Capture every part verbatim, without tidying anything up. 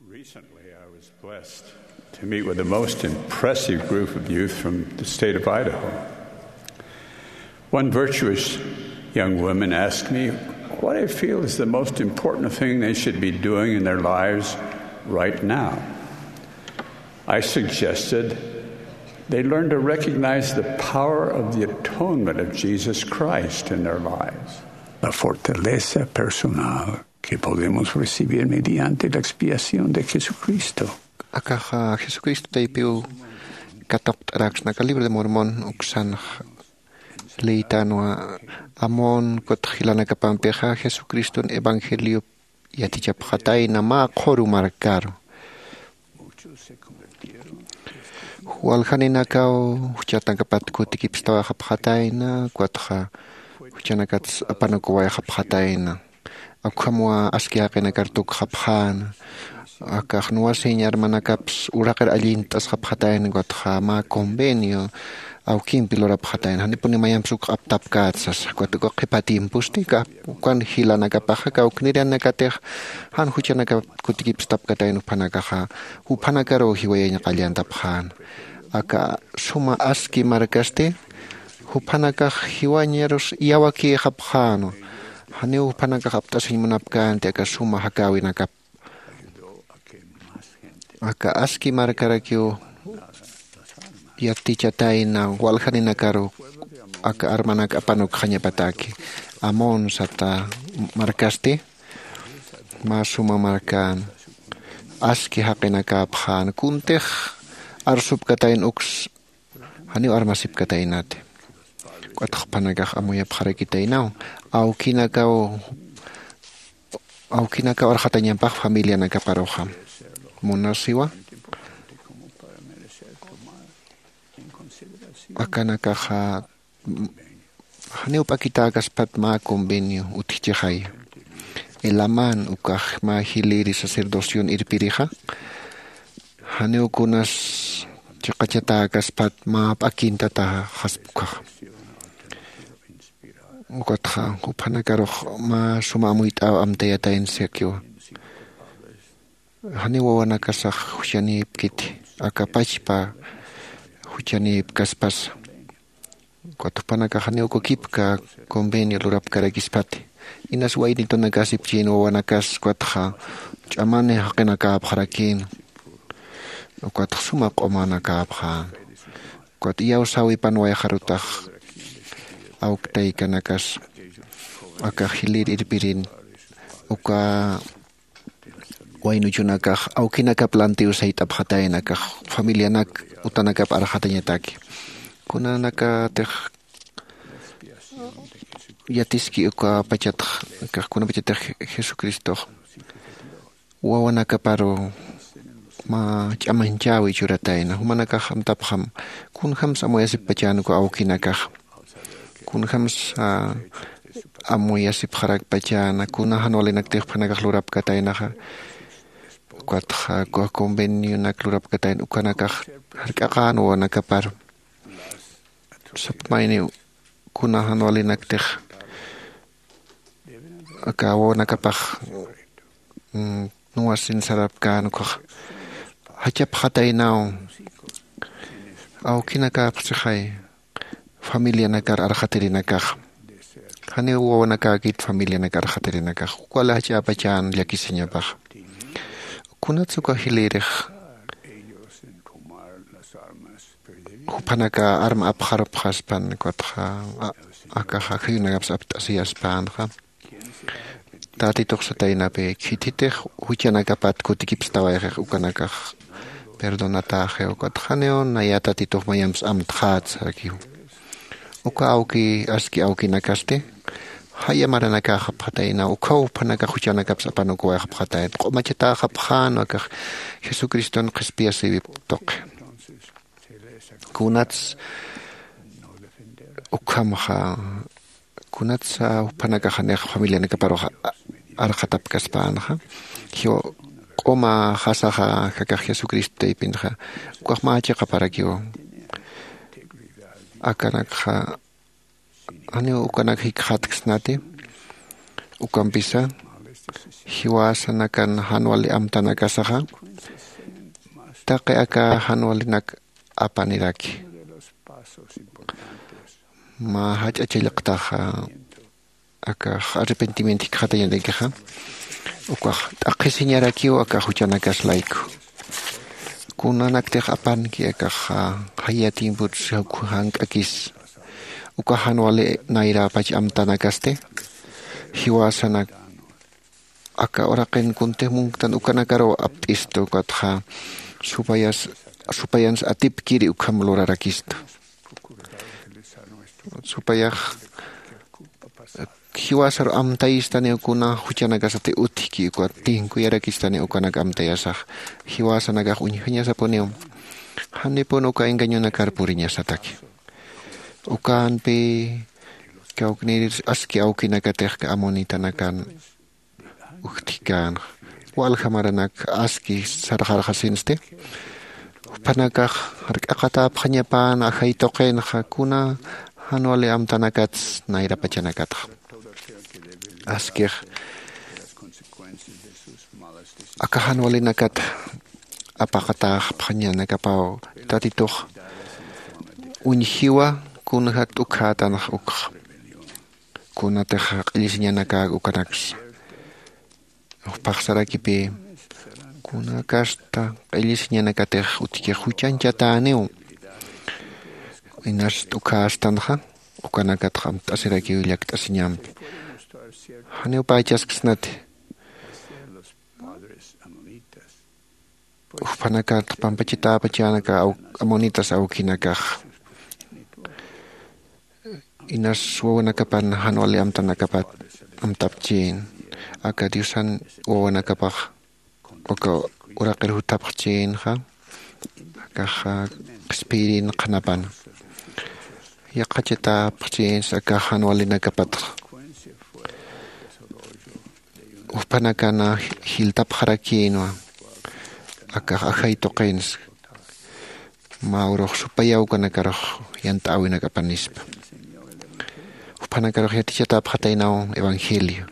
Recently, I was blessed to meet with the most impressive group of youth from the state of Idaho. One virtuous young woman asked me what I feel is the most important thing they should be doing in their lives right now. I suggested they learn to recognize the power of the atonement of Jesus Christ in their lives. La fortaleza personal que podemos recibir mediante la expiación de Jesucristo. Akaxa Jesucristo taypiw kataqt'araksna aka libro de Mormon uksanx leytanwa. Amon kutx jilanakapampixa Jesucriston evangelio yatichapxatayna mä qhuru markaru. Waljaninakaw juchanakapat kutikipstawayxapxatayna, ukatxa juchanakats apanukuwayxapxatayna. Akhamwa aski jaqinakar tukxapxäna. Akax nuwasiñ armanakaps uraqir allint'asxapxatayna, ukatxa mä convenio awkimpi lurapxatayna, janipuni mayamps uk aptapkät sasa. Ukat uka qhipa tiemposti ukan jilanakapaxa kawknirianakatix jan juchanaka kutikipstapkatayna, juphanakaxa juphanakaruw jiwayañ qallantapxäna. Aka suma aski markasti juphanakax jiwañarus iyawakïxapxänwa. Janiw juphanakax apt'asiñ munapkänti aka suma jakäwinakap. Aka aski markarakiw yatichatayna waljaninakaru aka armanak apanukxañapataki. Amon sata markasti mä suma markän, aski jaqinakäpxän, kuntix arsupkatayna uks janiw armasipkataynati. Ukatx juphanakax amuyapxarakitaynaw awkinakaw awkinakaw arxatañampax familianakaparuxa. Munasiwa akanakaxa janiw p'akitäkaspat mä convenio utjchixaya. Elaman ukax mä jiliri sacerdocion irpirixa janiw kunas chiqachatäkaspat mä p'akintataxaspa ukaxa. Ukatxa juphanakarux mä suma amuyt'äw amtayataynsakiwa. Janiw wawanakasax juchanïpkiti aka pachpa juchanïpkaspasa. Ukat jupanakax janiw kukipka convenio lurapkarakispati. Inas waynitunakasipchïn wawanakas ukatxa ch'amani jaqinakäpxarakïn. Ukatx suma q'umanakäpxän. Ukat iyawsäwipanwayxarutax awktaykanakas aka jilir irpirin uka waynuchunakax awkinakap lantiw sayt'apxatayna akax familianak utanakap arxatañataki. Kunanakatix yatiski uka pachatx akax kunapachatix Jesucristox wawanakaparu mä ch'amañchäwi churatayna. Jumanakax amtapxam kunjams amuyasipxarakpachäna uka awkinakax, kunjams amuyasipxarakpachäna kuna jan walinaktix juphanakax lurapkataynaxa. Ukatxa uka convenionak lurapkatayna ukanakax jark'aqän wawanakaparu. Sapmayniw kuna jan walinaktix aka wawanakapax nuwasin sarapkän ukax jachapxataynaw awkinakäpxsixay familianakar arxatirinakax. Janiw wawanakäkit familianakar arxatirinakax ukwala jach'äpachän llakisiñapax. Kunatsa uka jilïrix juphanaka arma apxarupxaspan ukatxa akaxa khayunakaps apt'asiyaspänxa. Tatitux sataynapi khithitix juchanakapat kutikipstawayxix ukanakax perdonatäxiw ukatxa janiw naya tatitux mayamps amtxät sarakiw. Uka awki aski awkinakasti jaya maranakäxapxataynaw ukhaw juphanakax juchanakaps apanukuwayxapxatayna q'umachatäxapxän akax jesucriston qhispiyasiwip tuqi. Kunats ukhamxa kunatsa juphanakax janix familianakaparux arxatapkaspänxa jiwa q'uma jasaxa jakax jesucristo taypinxa ukax mä chiqaparakiwa. Akanakxa janiw ukanak jikxatksnati ukampisa Jiwasanakan jan wali amtanakasaxa taqi aka jan walinak apaniraki. Mä jach'a challqtaxa akax arrepentimiento jikxatañarakixa ukax t'aqhisiñarakiw aka juchanakas layku. Kunanaktix apanki akax jaya tiempur jank'akis uka jan wali nayräpach amtanakasti jiwasanak aka uraqin kuntix munktan ukanakaruw apt'istu ukatxa supayas supayansa atipkiri ukham lurarakistu. Supayax jiwasaru amtayistaniw kuna juchanakasati utjki ukat tinkuyarakistaniw ukanak amtayasax jiwasanakax uñjañasapuniw. Janipun uka engañonakar puriñasataki ukanpi kawknïrir aski awkinakatix amonitanakan ujtjkänxa walja maranak aski sarxarxasinsti. Juphanakax jark'aqatäpxañapäna ajay tuqinxa kuna jan wali amtanakats nayrapachanakatxa askix aka jan walinakat apaqatäxpxañanakapaw tatitux uñjiwa kunja t'ukhätanxa ukxa kunatix q'illisiñanakäk ukanaksa jupaxsarakipï kuna kasta q'illisiñanakatix utjkix juchañchatäniw inas t'ukhästanxa ukanakatxa amtt'asirakiw llakt'asiñampi. Janiw pächasksnati jupanakat pampachatäpachänaka amonitas awkinakax inas wawanakapan jan wali amtanakapat amtapchïn aka diosan wawanakapax uka uraqir juthapxchïnxa akax qhispiyrin qhanapan yaqachatäpxchïnsa akax jan walinakapatxa jupanakan jiltapxarakïnwa akax ajay tuqinsa mä urux supaya ukanakarux yant'äwinak apanispa. Juphanakarux yatichatäpxataynaw evangelio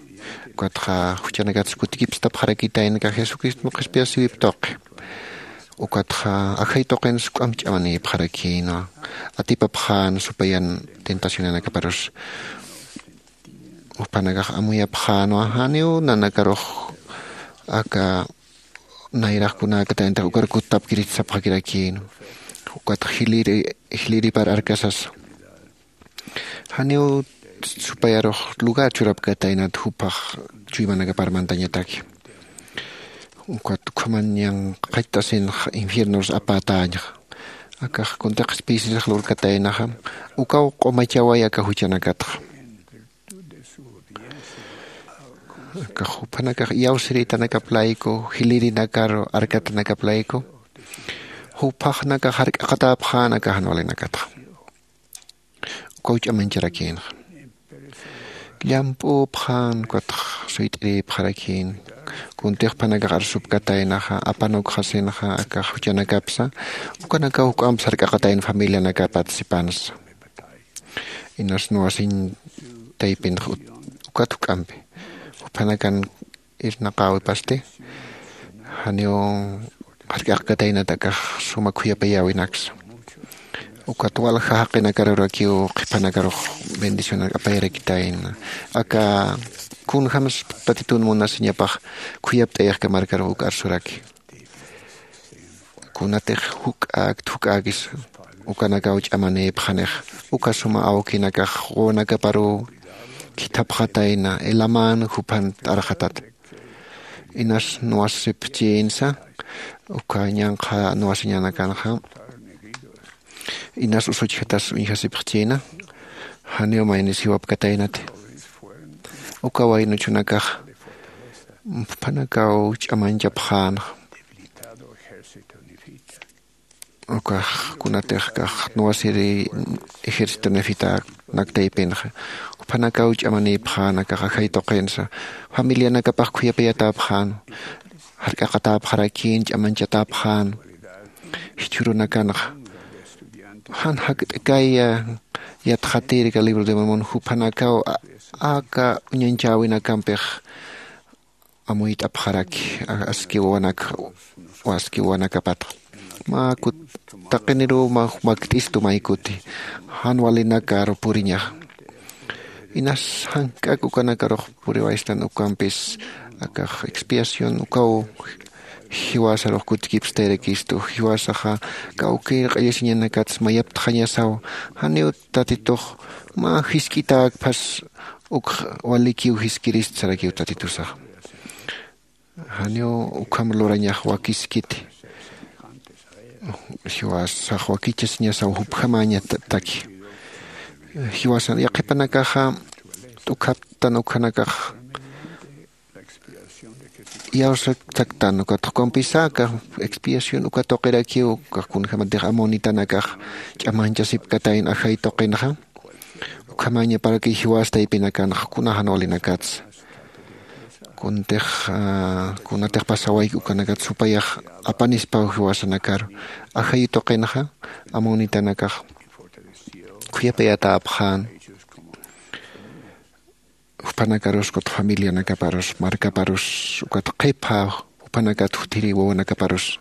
ukatxa juchanakatsa kutikipstapxarakitayna aka jesucristun qhispiyasiwip tuqi ukatxa ajay tuqinsa k'amp ch'amanïpxarakïnwa atipapxän supayan tentacionanakaparus. Juphanakax amuyapxänwa janiw nanakarux aka nayrax kunäkatayntax ukar kuttapkiriti sapxakirakïnwa. Ukatxa jiliri jiliripar arkasasa janiw supayarux lugar churapkataynat juphax chuymanakapar mantañataki. Ukat ukhamañan qhacht'asinxa infiernurus apätäñxa akax kuntix qhispiyisirix lurkataynaxa ukaw q'umachaway aka juchanakatxa. Akax juphanakax iyawsiritanakap layku jilirinakaru arkatanakap layku juphaxnakax jark'aqatäpxän aka jan walinakatxa ukaw ch'amañcharakïnxa. Llamp'üpxän ukatx suyt'irïpxarakïn kuntix juphanakax arsupkataynaxa apanukxasinxa akax juchanakapsa ukanakaw juk'amp sark'aqatayna familianakapat sipansa inas nuwasiñ taypinx ukat juk'ampi juphanakan irnaqäwipasti janiw jark'aqkataynat akax suma khuyapayäwinaksa. Ukat walja jaqinakarurakiw qhipanakarux bendicionar apayarakitayna aka kunjämsa tatitun munasiñapax khuyapt'ayixkamarkarux uk arsuraki kunatix juk'äkt juk'äkis ukanakaw ch'amanïpxanix uka suma awkinakax wawanakaparuw khithapxatayna elaman juphan t'arxatat inas nuwasipxchïnsa uka ñanqha nuwasiñanakanxa inas usuchjatas uñjasipxchïna janiw maynis jiwapkataynati uka waynuchunakax juphanakaw ch'amañchapxänxa ukax kunatix kax nuwasiri ejército nefitanak taypinxa juphanakaw ch'amanïpxän akax ajay tuqinsa familianakapax khuyapayatäpxän jark'aqatäpxarakïn ch'amañchatäpxän jichhürunakanxa jan jakt'kaya yatxatirka libro de mormon juphanakaw aka uñañchäwinakampix amuyt'apxaraki aski wawanak aski wawanakapatxa. Mä kut taqiniruw makt'istu maykuti jan walinakaru puriñaxa. Inas jank'ak ukanakarux puriwaystan ukampis akax expiación ukaw jiwasarux kutkipstayrakistu. Jiwasaxa kawkir q'illisiñanakats mayaptxañasaw. Janiw tatitux mä jisk'itäkphas ukx walikiw jiskirist sarakiw tatitusaxa. Janiw ukham lurañax wakiskiti. Jiwasax wakichasiñasaw jupjamäñataki. Jiwasan yaqhipanakaxa t'ukhaptan ukhanakax iyawsaktan ukat jukampisa aka expiación uka tuqirakiw ukax kunjämatix amonitanakax ch'amañchasipkatayn ajay tuqinxa. Ukhamañaparaki jiwas taypinakanxa kuna jan walinakatsa kuntix kunatix pasawayki ukanakat supayax apanispaw jiwasanakaru. Ajay tuqinxa amonitanakax khuyapayatapxän jupanakarus ukat familianakaparus markaparus ukat qhipha jupanakat jutiri wawanakaparus.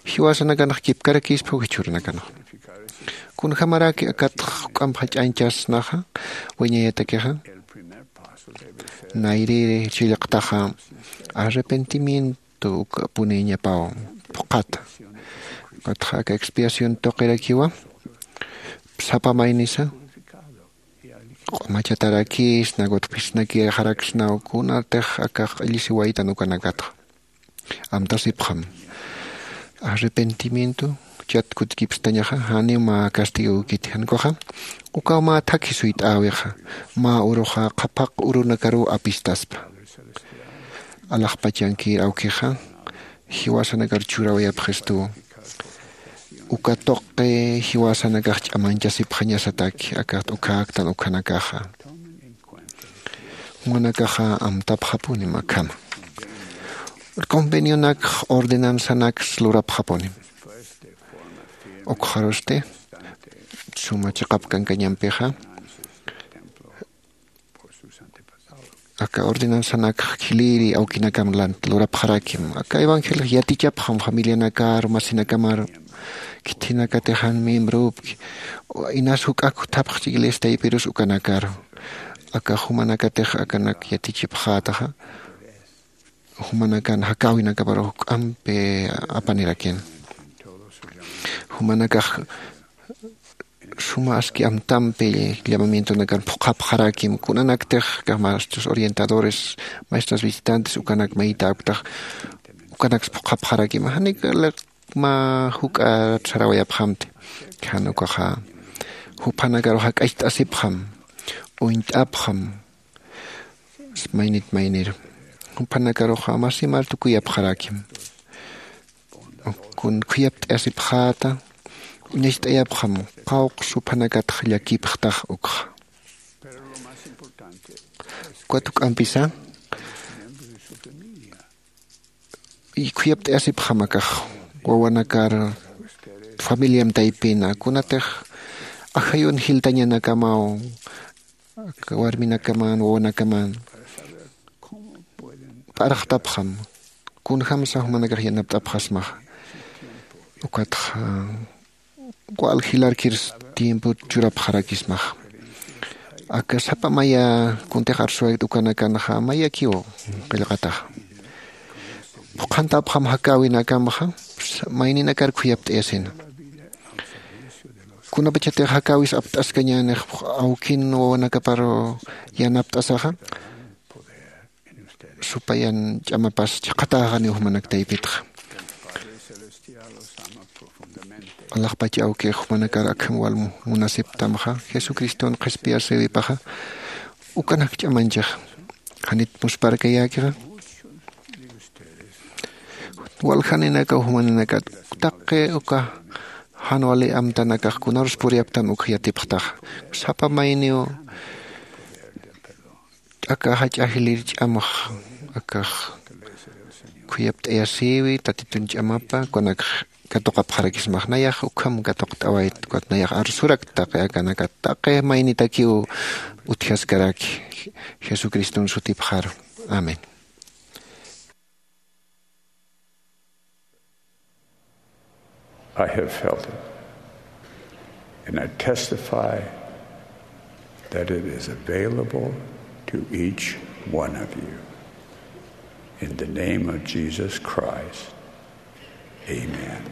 Jiwasanakanx kipkarakispa jichhuranakanxa kunjämaraki akatx juk'amp jach'añchasnaxa wañayatakixa. Nayrïri chillqtaxa arrepentimiento uka puniñapaw phuqhata. Ukatxa aka expiación tuqirakiwa sapa maynisa q'umachatarakisna ukatphisnakixaraksnaw kunatix akax q'illisiwaytan ukanakatxa. Amtasipxam arrepentimiento chat kutkipstañaxa janiw mä castigawkiti jan ukaxa ukaw mä thakhi suyt'äwixa mä uruxa qhaphaq urunakaruw apistaspa. Alaxpachankir awkixa jiwasanakar churawayapxistuw uka tuqi jiwasanakax ch'amañchasipxañasataki akax t'ukhäktan ukhanakaxa. Jumanakaxa amtapxapunim akhama convenionakx ordenanzanakx lurapxapunim. Ukxarusti suma chiqap kankañampixa aka ordenanzanakx khilïri awkinakam lurapxarakim aka evangeliox yatichapxam familianakar masinakamaru khithinakatix jan miembropki inas juk'ak juthapxchi iglesia taypirus ukanakaru. Aka jumanakatix akanak yatichipxätaxa jumanakan jakäwinakaparu juk'ampi apanirakin jumanakax suma aski amtampi llamamientonakan phuqhapxarakim kunanaktix kax maestros orientadores maestras visitantes ukanak maytäktax ukanaks phuqhapxarakim janik mä juk'at sarawayapxamti. Jan ukaxa juphanakaru jak'acht'asipxam uñt'apxam maynit mayniru juphanakaruxa masimar tukuyapxarakim. Kun khuyapt'ayasipxäta uñacht'ayapxam qawqs juphanakatx llakipxtax ukxa. Ukat juk'ampisa khuyapt'ayasipxam akax wawanakar familiam taypina kunatix ajayun jiltañanakamaw aka warminakaman wawanakaman p'arxtapxam kunjämsa jumanakax yanapt'apxasmaxa. Ukatxa wal jilarkir tiempo churapxarakismaxa. Aka sapa maya kuntix arsuwaykt ukanakanxa mayakiw qillqataxa phuqhantapxam jakäwinakamxa mayninakar khuyapt'ayasina. Kunapachatix jakäwis apt'askañänix awkin wawanakaparu yanapt'asaxa supayan ch'amapas chiqhatäxaniw jumanak taypitxa. Alaxpach awkix jumanakar akham wal munasiptamxa jesucriston qhispiyasïwipaxa ukanak ch'amañchixa. Janit muspharkayäkixa waljaninakaw jumaninakar taqi uka jan wali amtanakax kunarus puriyaptan ukx yatipxtaxa sapa mayniw t'aka jach'a jilir ch'amax akax khuyapt'ayasïwi tatitun ch'amapa kunakx katuqapxarakismax nayax ukham katuqt'awayt ukat nayax arsurak taqi akanakat taqi maynitakiw utjaskaraki jesucriston sutipxaru. Amén. I have felt it. And I testify that it is available to each one of you. In the name of Jesus Christ, amen.